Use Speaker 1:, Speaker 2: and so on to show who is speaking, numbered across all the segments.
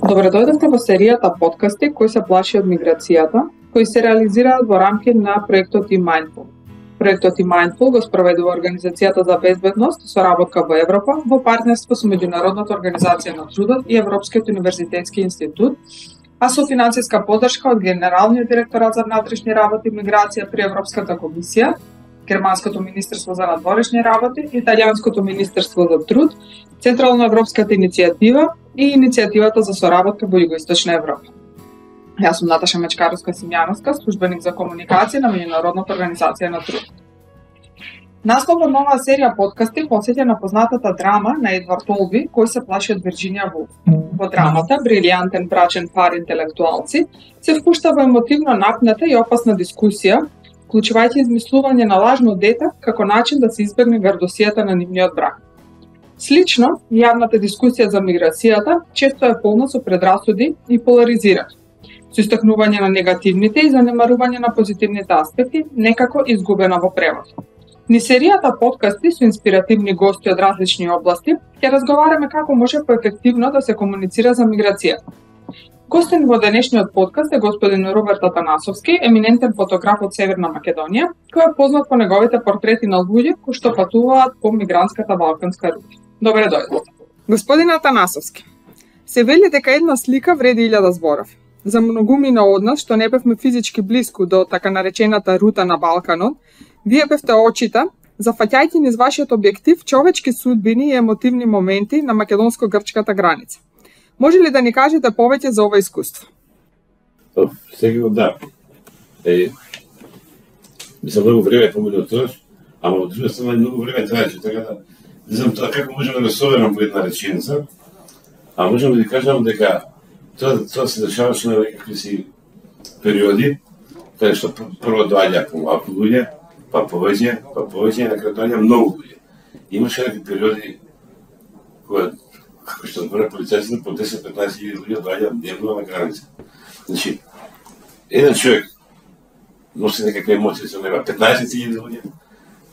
Speaker 1: Добре дојдовте во серијата подкасти кои се плаши од миграцијата, кои се реализираат во рамки на проектот eMindful. Проектот eMindful го спроведува Организацијата за безбедност и соработка во Европа во партнерство со Меѓународната организација на трудот и Европскиот универзитетски институт, а со финансиска поддршка од Генералниот директорат за внатрешни работи и миграција при Европската комисија, Германското министерство за надворешни работи, Италијанското министерство за труд, Централно-европската иницијатива и иницијативата за соработка во Југоисточна Европа. Јас сум Наташа Мечкаровска-Симјановска, службеник за комуникација на Меѓународната организација на труд. Насловот на оваа серија подкасти посеќа на познатата драма на Едвард Олби, кој се плаши од Вирџинија Вулф. Во драмата, брилијантен брачен пар интелектуалци се впушта во емотивно напната и опасна дискусија, вклучувајќи измислување на лажно дете како начин да се избегне гардосијата на нивниот брак. Слично, јавната дискусија за миграцијата често е полна со предрасуди и поларизирани, со истакнување на негативните и занемарување на позитивните аспекти, некако изгубена во превод. Ни серијата подкасти со инспиративни гости од различни области ќе разговараме како може поефективно да се комуницира за миграцијата. Гостин во денешниот подкаст е господин Роберт Атанасовски, еминентен фотограф од Северна Македонија, кој е познат по неговите портрети на луѓе кои што патуваат по мигрантската балканска рута. Добре дојдовте. Господин Атанасовски, се вели дека една слика вреди 1000 зборови. За многумина од нас што не бевме физички блиску до така наречената рута на Балканот, вие бевте очите, зафаќајќи низ вашиот објектив човечки судбини и емотивни моменти на македонско-грчката граница. Може ли да ни кажете повеќе за ова искуство?
Speaker 2: Сега да. Мислам, многу време поминува тоа, ама од друга страна многу време траеше, така да не знам тоа како можам да го соберам во една реченица, а можам да ви кажам дека тоа се дешаваше на некакви си периоди, каде што прво доаѓа помалку луѓе, па повеќе, и на крај доаѓа многу луѓе. Имаше некакви периоди кога, како што збора полицајците, по 10-15 хиляди луѓе доаѓа дневно на граница. Значи, еден човек носи некакви емоции со него, 15.000 луѓе,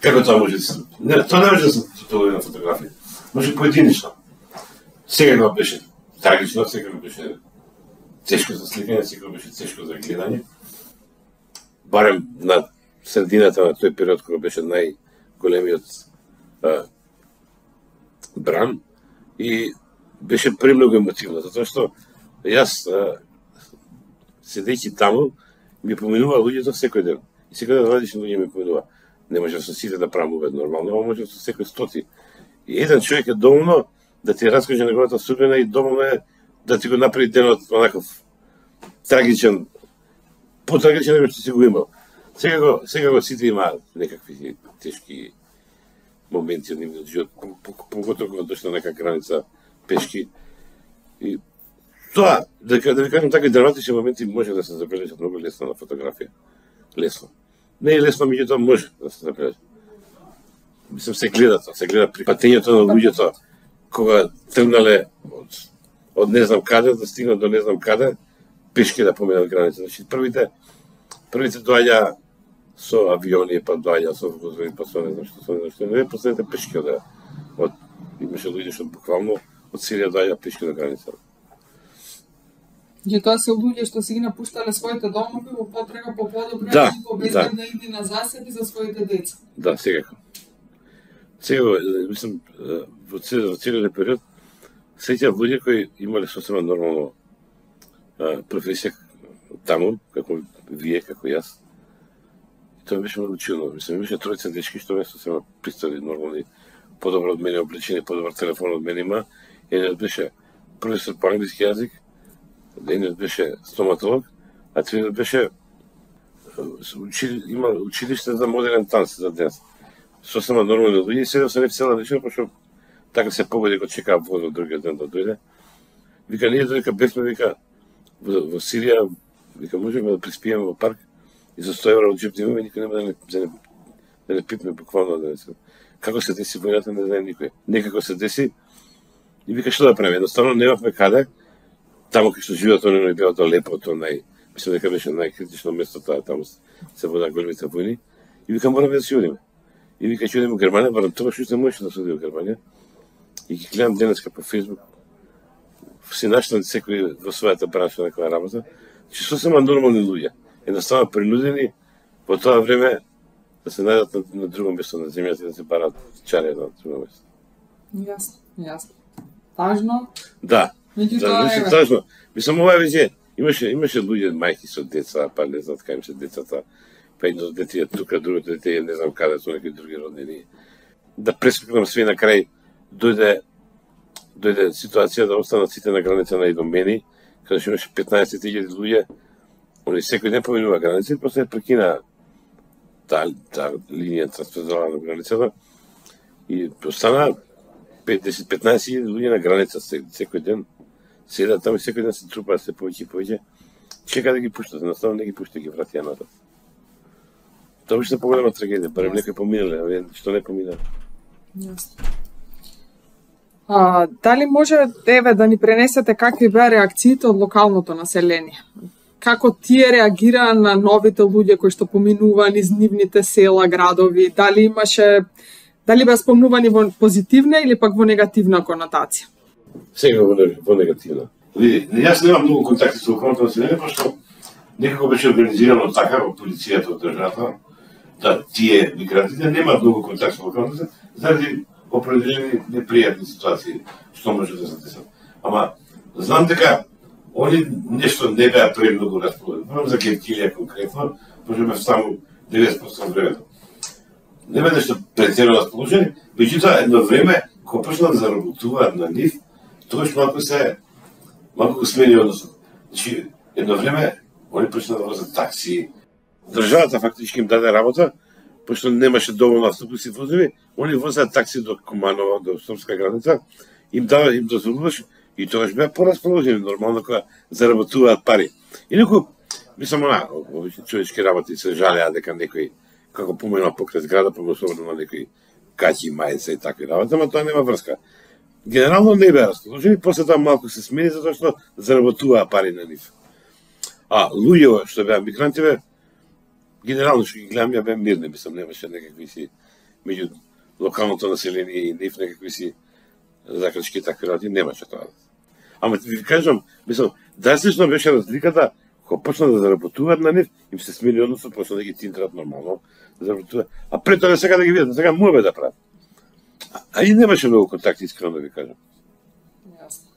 Speaker 2: како тоа може да се... Тоа не може да се тоталува на фотографија. Може поединично. Сега го беше трагично, сега го беше тешко за сликање, сега го беше тешко за гледање. Барем на средината на тој период кога беше најголемиот бран и беше премногу емотивно, затоа што јас седејќи таму ми поминува луѓето секој ден. И секој ден различни луѓе ми поминува. Не може со сите да правам увед нормално, но може со секој стоти. И еден човек е доволно да ти раскаже неговата судбина и доволно е да ти го направи денот онаков трагичен, потрагичен него што си го имал. Сега го сите имаат некакви тешки моменти од нивниот живот, поготово кога дошла нека граница пешки. И тоа, да ви кажам така, драматични моменти може да се забележат многу лесно на фотографија. Лесно. Не е лесно, меѓутоа може да се забележат. Мислам, се гледа тоа, се гледа при патењето на луѓето, кога тргнале од не знам каде, да стигнат до не знам каде, пешки да поминат граница. Значи, првите доаѓа со авиони, па доаѓа со возови, па со не знам што, не последните пешки од имаше луѓе што буквално од Сирија доаѓа пешки до граница.
Speaker 1: И тоа се луѓе што си ги напуштале своите домови во потрага по подобра и побезбедна иднина за себе и за своите деца.
Speaker 2: Да, секако. Сега, мислам, во целиот период, сеќавам луѓе кои имале сосема нормално професија таму, како вие, како јас. И тоа беше многу чудно. Мислам, имаше тројца дечки што ме сосема пристали нормални, подобро од мене облечени, подобар телефон од мене има. Едниот беше професор по англиски јазик, едниот беше стоматолог, а третиот беше има училиште за модерен танц за денес. Сосема нормални луѓе и седев се цела вечер, пошто така се погоди го чекаа возот другиот ден да дојде. Вика, ние додека бевме, вика, во Сирија, вика, можеме да приспиеме во парк и за 100 евра од джеп да имаме, никој нема да не пипне буквално да не се. Како се деси војната, не знае никој. Некако се деси и вика, што да правиме? Едноставно немавме каде, таму кај што живеат они не беа тоа лепо, тоа мислам дека беше најкритично место тоа, таму се водат големите војни. И вика, мораме да си одиме. И вика, ќе одиме во Германија, барем тоа што не можеше да се оди во Германија. И ги гледам денеска по Facebook си наштан секој во својата бранша на која работа, че сосема нормални луѓе, едноставно принудени во тоа време да се најдат на друго место на земјата и да се барат чаре на друго место.
Speaker 1: Јасно. Тажно?
Speaker 2: Да.
Speaker 1: Меѓутоа
Speaker 2: тажно. Мислам, ова веќе имаше луѓе, мајки со деца, па не знаат кај им се децата, па едно дете е тука, другото дете е не знам каде, со некои други роднини. Да прескокнам све на крај, дојде ситуација да останат сите на граница на Идомени, каде што имаше 15.000 луѓе, они секој ден поминува граница и после прекина таа линија трансферзална на границата и остана 10-15.000 луѓе на граница секој ден. Седат таму и секој ден се трупаат се повеќе и повеќе. Чека да ги пуштат, едноставно не ги пушта, ги врати натат. Тоа беше поголема трагедија, барем некој поминале, што не поминале.
Speaker 1: Јасно. Дали може да ни пренесете какви беа реакциите од локалното население? Како тие реагираа на новите луѓе кои што поминуваа низ нивните села, градови? Дали беа спомнувани во позитивна или пак во негативна конотација?
Speaker 2: Сега во негативна. Јас немам многу контакти со локалното население, пошто некако беше организирано така во полицијата од државата, да тие мигрантите немаат многу контакт со локалното население, заради определени непријатни ситуации што може да се десат. Ама знам дека они нешто не беа премногу расположени. За Геркилија конкретно, пошто бев само 90% од времето. Не беа нешто претерано расположени, меѓутоа едно време кога почнаа да заработуваат на нив, тогаш малку го смени односот. Значи, едно време они почнаа да возат такси. Државата фактички им даде работа, пошто немаше доволно автобуси возеви, они возат такси до Куманово, до српска граница, им дозволуваш и тогаш беа порасположени нормално кога заработуваат пари. Инаку, мислам, овие човечки работи се жалеа дека некој како поминува покрај зграда, особено на некои каќи, мајца и такви работи, ама тоа нема врска. Генерално не беа расположени, после тоа малку се смени затоа што заработуваа пари на нив. Луѓето што беа мигранти генерално што ги гледам, ја беа мирни, мислам, немаше некакви си меѓу локалното население и нив некакви си закрчки такви работи, немаше тоа. Ама ви кажам, мислам, драстично беше разликата кога почна да заработуваат на нив, им се смени односот, почна да ги тинтрат нормално, да заработуваат. Пред тоа сега да ги видат, сега му бе да прават. И немаше многу контакти, искрено да ви кажам.
Speaker 1: Јасно.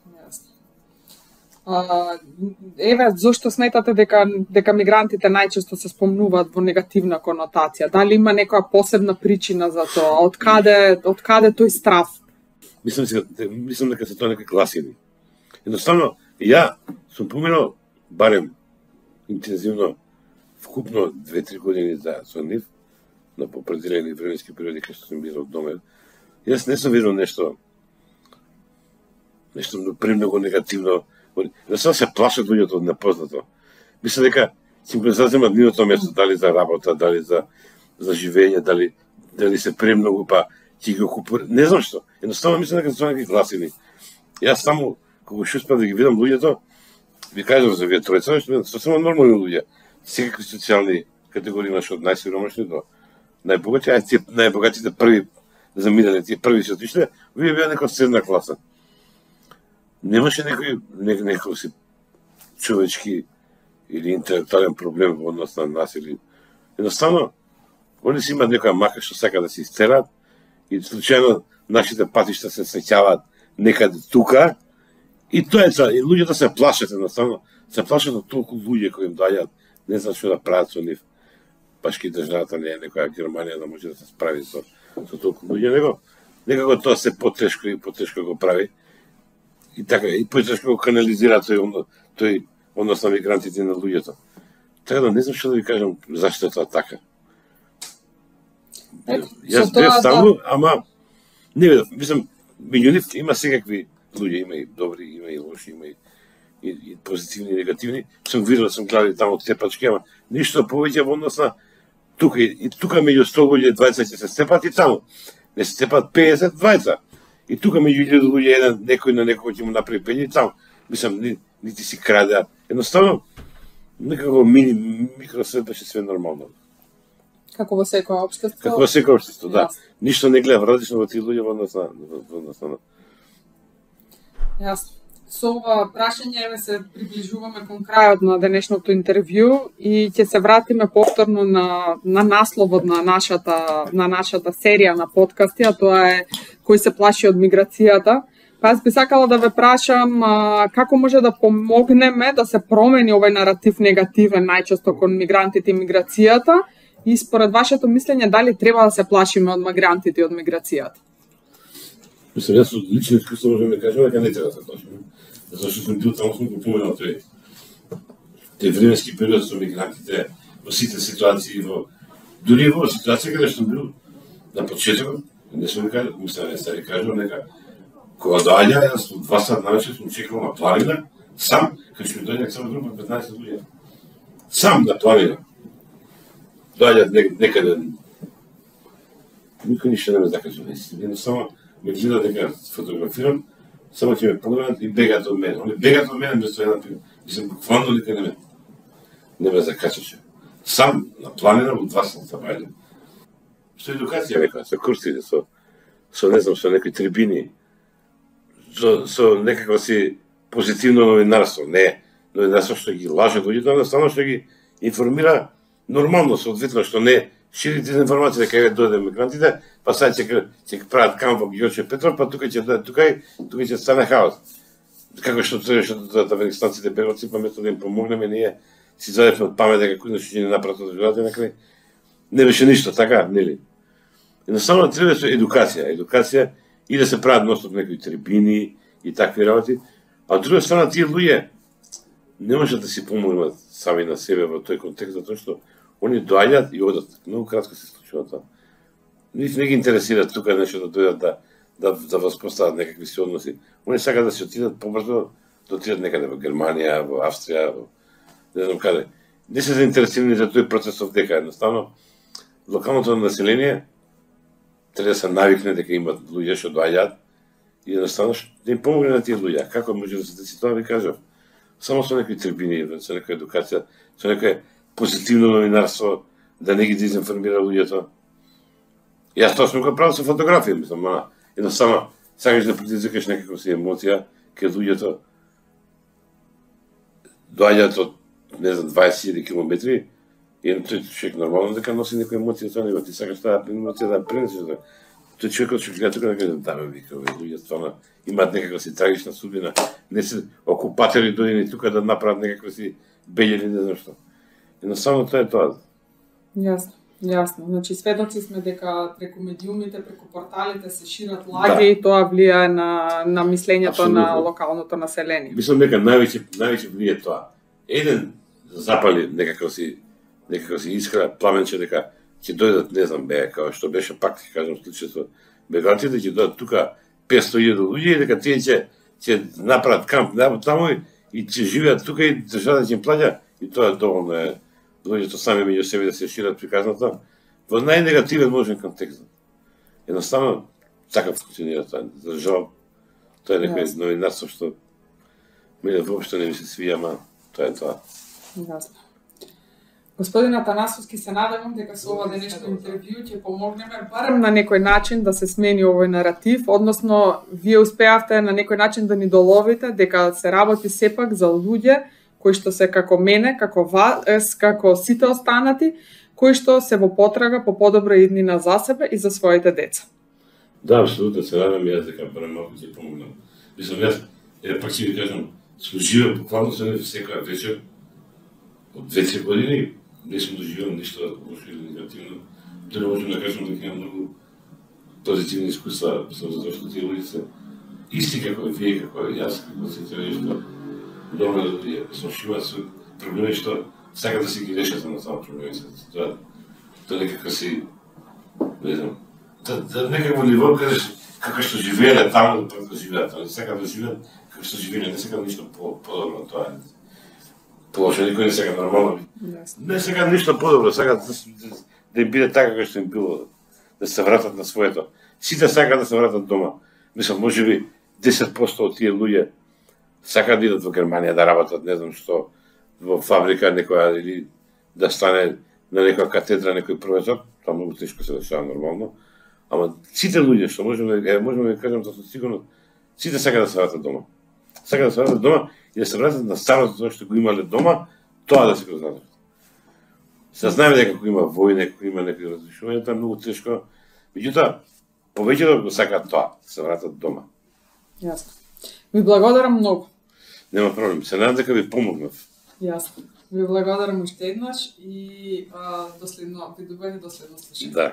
Speaker 1: Зошто сметате дека мигрантите најчесто се спомнуваат во негативна конотација? Дали има некоја посебна причина за тоа? Од каде тој страв?
Speaker 2: Мислам дека се тоа некои гласини. Едноставно, ја сум поминал барем интензивно вкупно 2-3 години со нив, на определени временски периоди кај што сум бил од дома. Јас не сум видел нешто премногу негативно. Едноставно се плашат луѓето од непознато. Мислам дека си го заземат нивото место, дали за работа, дали за живење, дали се премногу, па ќе ги окупира. Не знам што. Едноставно мислам дека се тоа некои гласини. Јас само кога што успеав да ги видам луѓето, ви кажам за вие тројца, што сосема нормални луѓе. Секакви социјални категории имаш од најсиромашни до најбогати, тие најбогатите први заминале, тие први се отишле, вие беа некоја средна класа. Немаше некој си човечки или интелектуален проблем во однос на нас или едноставно они си имаат некоја мака што сака да се истерат и случајно нашите патишта се среќаваат некаде тука и тоа е и луѓето се плашат едноставно, се плашат од толку луѓе кои им доаѓаат, не знаат што да прават со нив. Башки државата не е некоја Германија да може да се справи со толку луѓе, некако тоа се потешко и потешко го прави. И така, и потешко го канализира тој однос на мигрантите на луѓето. Така да не знам што да ви кажам зашто е тоа така. Јас бев таму, ама не видов, мислам, меѓу нив има секакви луѓе, има и добри, има и лоши, има и позитивни и негативни. Сум видел, сум гледал таму од степачки, ама ништо повеќе во однос на тука и тука меѓу 100 луѓе 20 ќе се степат и таму. Не се степат 50, 20. И тука меѓу 1000 луѓе некој на некој ќе му направи пење и таму. Мислам, нити си краде. Едноставно, некако микросвет беше све нормално.
Speaker 1: Како во секој општество?
Speaker 2: Како во секој општество, да. Ништо не гледав различно во тие луѓе во однос на.
Speaker 1: Јасно. Со ова прашање се приближуваме кон крајот на денешното интервју и ќе се вратиме повторно на насловот на нашата серија на подкасти, а тоа е кој се плаши од миграцијата. Па јас би сакала да ве прашам како може да помогнеме да се промени овој наратив негативен најчесто кон мигрантите и миграцијата и според вашето мислење дали треба да се плашиме од мигрантите и од миграцијата?
Speaker 2: Мислам, јас од лично искуство можем да кажем дека не треба да се плашиме. Зашто сум бил таму, сум го поминал тој временски период со мигрантите во сите ситуации, дури во ситуација каде што сум бил на почетокот, не сум кажал, мислам, не стари кажал, нека кога доаѓа, јас од 2 сат навечер сум чекал на планина, сам, кај што ми доаѓа само група 15 луѓе. Сам на планина. Доаѓаат некаде. Никој ништо не ме закажа, едноставно ме гледа дека фотографирам, само ќе ме погледнат и бегаат од мене. Они бегаат од мене без една пима. Мислам, буквално никој не ме закачаше. Сам на планина во 2 сата бајле. Со едукација некоја, со курсите, со не знам, со некои трибини, со некакво си позитивно новинарство, не новинарство што ги лаже луѓето, едноставно што ги информира нормално, соодветно што не шири дезинформација дека ќе дојде мигрантите, па сега ќе прават камп во Георче Петров, па тука ќе дојде тука ќе стане хаос. Како што афганистанците беговци, па место да им помогнеме, ние си задевме од памет дека кој нешто ќе ни направат од животот, накрај не беше ништо, така, нели? Едноставно треба со едукација и да се прават ностоп некои трибини и такви работи, а од друга страна тие луѓе не можат да си помогнат сами на себе во тој контекст, затоа што они доаѓаат и одат. Многу кратко се случува тоа. Нив не ги интересира тука нешто да дојдат да воспостават некакви си односи. Они сакаат да се отидат побрзо, да отидат некаде во Германија, во Австрија, во не знам каде. Не се заинтересирани за тој процес дека едноставно локалното население треба да се навикне дека имат луѓе што доаѓаат и едноставно да им помогне на тие луѓе. Како може да се деси тоа, ви кажав. Само со некои трибини, со некоја едукација, со некој позитивно новинарство, да не ги дезинформира луѓето. Јас тоа сум го правил со фотографија, мислам, едноставно сакаш да предизвикаш некаква си емоција кај луѓето доаѓаат од, не знам, 20.000 километри и тој човек нормално дека носи некоја емоција со него, ти сакаш таа емоција да пренесеш. Тој човекот што гледа тука да каже, да ме вика, луѓе стварно имаат некаква си трагична судбина, не се окупатори дојдени тука да направат некаква си бељени, не знам што. Едноставно тоа е тоа.
Speaker 1: Јасно. Значи сведоци сме дека преку медиумите, преку порталите се шират лаги и тоа влијае на мислењето на локалното население.
Speaker 2: Мислам дека највеќе влијае тоа. Еден запали некаква си искра, пламенче дека ќе дојдат, не знам, како што беше пак, ќе кажам случајот бегантите, ќе дојдат тука 500.000 луѓе и дека тие ќе направат камп таму и ќе живеат тука и државата ќе им плаќа и тоа доволно е луѓето сами меѓу себе да се шират приказната во најнегативен можен контекст. Едноставно така функционира тоа. За жал, тоа е некој новинарство што мене воопшто не ми се свија, ама тоа е тоа.
Speaker 1: Јасно. Господин Атанасовски, се надевам дека со ова денешно интервју ќе помогнеме барем на некој начин да се смени овој наратив, односно вие успеавте на некој начин да ни доловите дека се работи сепак за луѓе кои што се како мене, како вас, како сите останати, кои што се во потрага по подобра иднина за себе и за своите деца.
Speaker 2: Да, апсолутно се надевам јас дека барем малку ќе помогнам. Мислам, јас, пак ќе ви кажам, сум живеел буквално со него секоја вечер од 2-3 години, не сум доживел ништо лошо или негативно. Тоа можам да кажам дека имам многу позитивни искуства, затоа што тие луѓе се исти како вие, како јас, како сите нешто. Добро луѓе, слушуваат со проблеми што сакат да си ги решат на само проблеми. Тоа некако си, не знам, да некакво ниво како што живееле таму да живеат, не сакат да живеат како што живееле, не сакат ништо подобро тоа. Полошо, никој не сака нормално. Не сака ништо подобро, сакат да им биде така како што им било, да се вратат на своето. Сите сакат да се вратат дома. Мислам, можеби 10% од тие луѓе сакаат да идат во Германија да работат, не знам што, во фабрика некоја или да стане на некоја катедра некој професор, тоа многу тешко се дешава нормално. Ама сите луѓе што можеме да кажам со сигурност, сите сакаат да се вратат дома. сакаат да се вратат дома и да се вратат на старото тоа што го имале дома, тоа да се го знаат. Се знаеме дека кога има војна, кога има некои разрушувања, тоа е многу тешко. Меѓутоа, повеќето го сакаат тоа, да се вратат дома.
Speaker 1: Јасно. Ви благодарам многу.
Speaker 2: Нема проблем. Се надам дека ви помогнав.
Speaker 1: Јасно. Ви благодарам уште еднаш и доследно видување, доследно слушање.
Speaker 2: Да.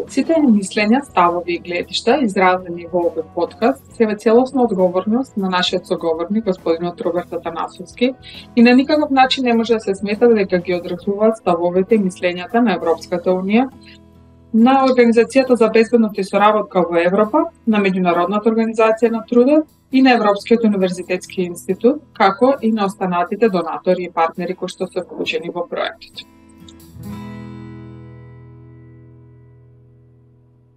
Speaker 1: Сите мислења, ставови и гледишта изразени во овој подкаст се во целосна одговорност на нашиот соговорник господинот Роберт Атанасовски и на никаков начин не може да се смета дека ги одразуваат ставовите и мислењата на Европската унија, на Организацијата за безбедност и соработка во Европа, на Меѓународната организација на трудот и на Европскиот универзитетски институт, како и на останатите донатори и партнери кои што се вклучени во проектот.